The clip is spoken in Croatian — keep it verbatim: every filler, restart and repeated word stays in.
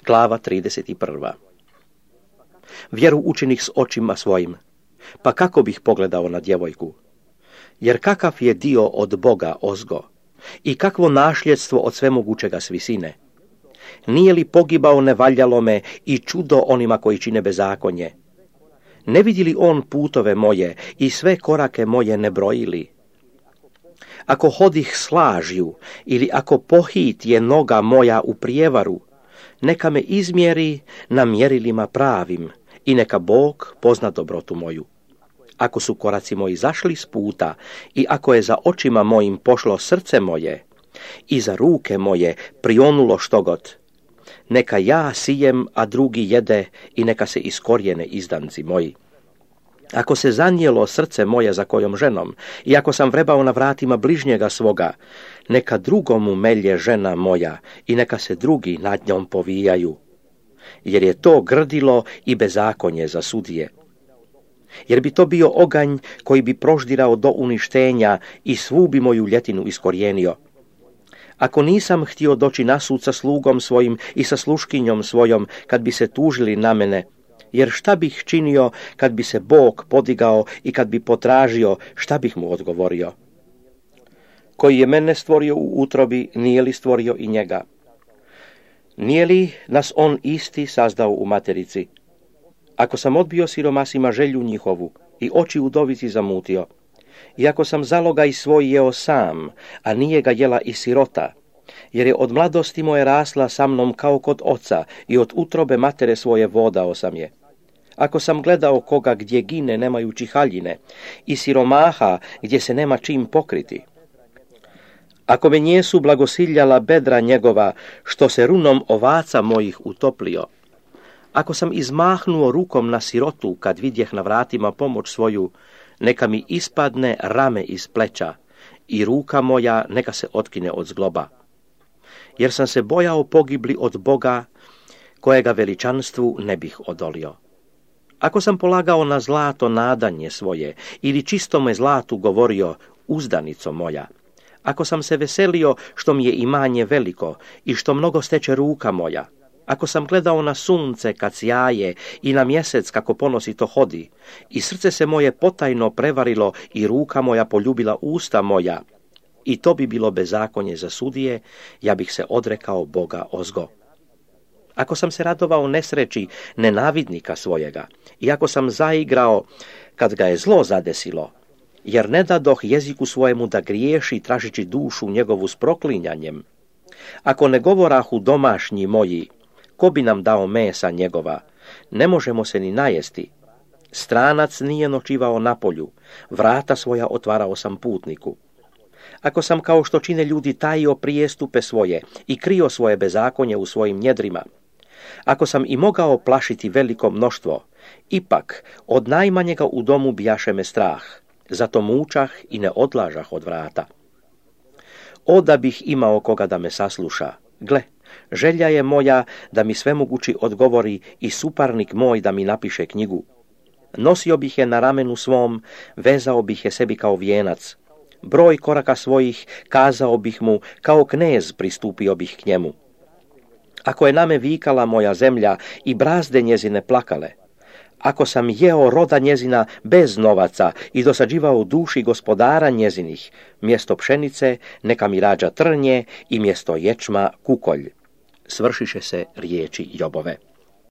Glava trideset prva. Vjeru učinih s očima svojim, pa kako bih pogledao na djevojku? Jer kakav je dio od Boga ozgo i kakvo nasljedstvo od svemogućega s visine? Nije li pogibao nevaljalo me i čudo onima koji čine bezakonje? Ne vidi li on putove moje i sve korake moje ne brojili? Ako hodih s lažju ili ako pohit je noga moja u prijevaru, neka me izmjeri na mjerilima pravim i neka Bog pozna dobrotu moju. Ako su koraci moji zašli s puta i ako je za očima mojim pošlo srce moje i za ruke moje prionulo štogod, neka ja sijem, a drugi jede i neka se iskorijene izdanci moji. Ako se zanijelo srce moje za kojom ženom i ako sam vrebao na vratima bližnjega svoga, neka drugomu melje žena moja i neka se drugi nad njom povijaju, jer je to grdilo i bezakonje za sudije. Jer bi to bio oganj koji bi proždirao do uništenja i svu bi moju ljetinu iskorijenio. Ako nisam htio doći na sud sa slugom svojim i sa sluškinjom svojom, kad bi se tužili na mene, jer šta bih činio kad bi se Bog podigao i kad bi potražio, šta bih mu odgovorio? Koji je mene stvorio u utrobi, nije li stvorio i njega? Nije li nas on isti sazdao u materici? Ako sam odbio siromasima želju njihovu i oči udovici zamutio, i ako sam zalogaj svoj jeo sam, a nije ga jela i sirota, jer je od mladosti moje rasla sa mnom kao kod oca i od utrobe matere svoje vodao sam je. Ako sam gledao koga gdje gine nemajući haljine i siromaha gdje se nema čim pokriti. Ako me njesu blagosiljala bedra njegova, što se runom ovaca mojih utoplio. Ako sam izmahnuo rukom na sirotu kad vidjeh na vratima pomoć svoju, neka mi ispadne rame iz pleća i ruka moja neka se otkine od zgloba. Jer sam se bojao pogibli od Boga, kojega veličanstvu ne bih odolio. Ako sam polagao na zlato nadanje svoje ili čistome zlatu govorio uzdanico moja, ako sam se veselio što mi je imanje veliko i što mnogo steče ruka moja, ako sam gledao na sunce kad sjaje i na mjesec kako ponosito hodi, i srce se moje potajno prevarilo i ruka moja poljubila usta moja, i to bi bilo bezakonje za sudije, ja bih se odrekao Boga ozgo. Ako sam se radovao nesreći nenavidnika svojega, i ako sam zaigrao kad ga je zlo zadesilo, jer ne dadoh jeziku svojemu da griješi tražići dušu njegovu s proklinjanjem, ako ne govorahu domašnji moji, ko bi nam dao mesa njegova, ne možemo se ni najesti. Stranac nije noćivao na polju, vrata svoja otvarao sam putniku. Ako sam kao što čine ljudi tajio prijestupe svoje i krio svoje bezakonje u svojim njedrima, ako sam i mogao plašiti veliko mnoštvo, ipak od najmanjega u domu bijaše me strah, zato mučah i ne odlažah od vrata. O da bih imao koga da me sasluša, gle, želja je moja da mi svemogući odgovori i suparnik moj da mi napiše knjigu. Nosio bih je na ramenu svom, vezao bih je sebi kao vijenac. Broj koraka svojih kazao bih mu, kao knez pristupio bih k njemu. Ako je na me vikala moja zemlja i brazde njezine plakale, ako sam jeo roda njezina bez novaca i dosađivao duši gospodara njezinih, mjesto pšenice neka mi rađa trnje i mjesto ječma kukolj. Svršiše se riječi Jobove.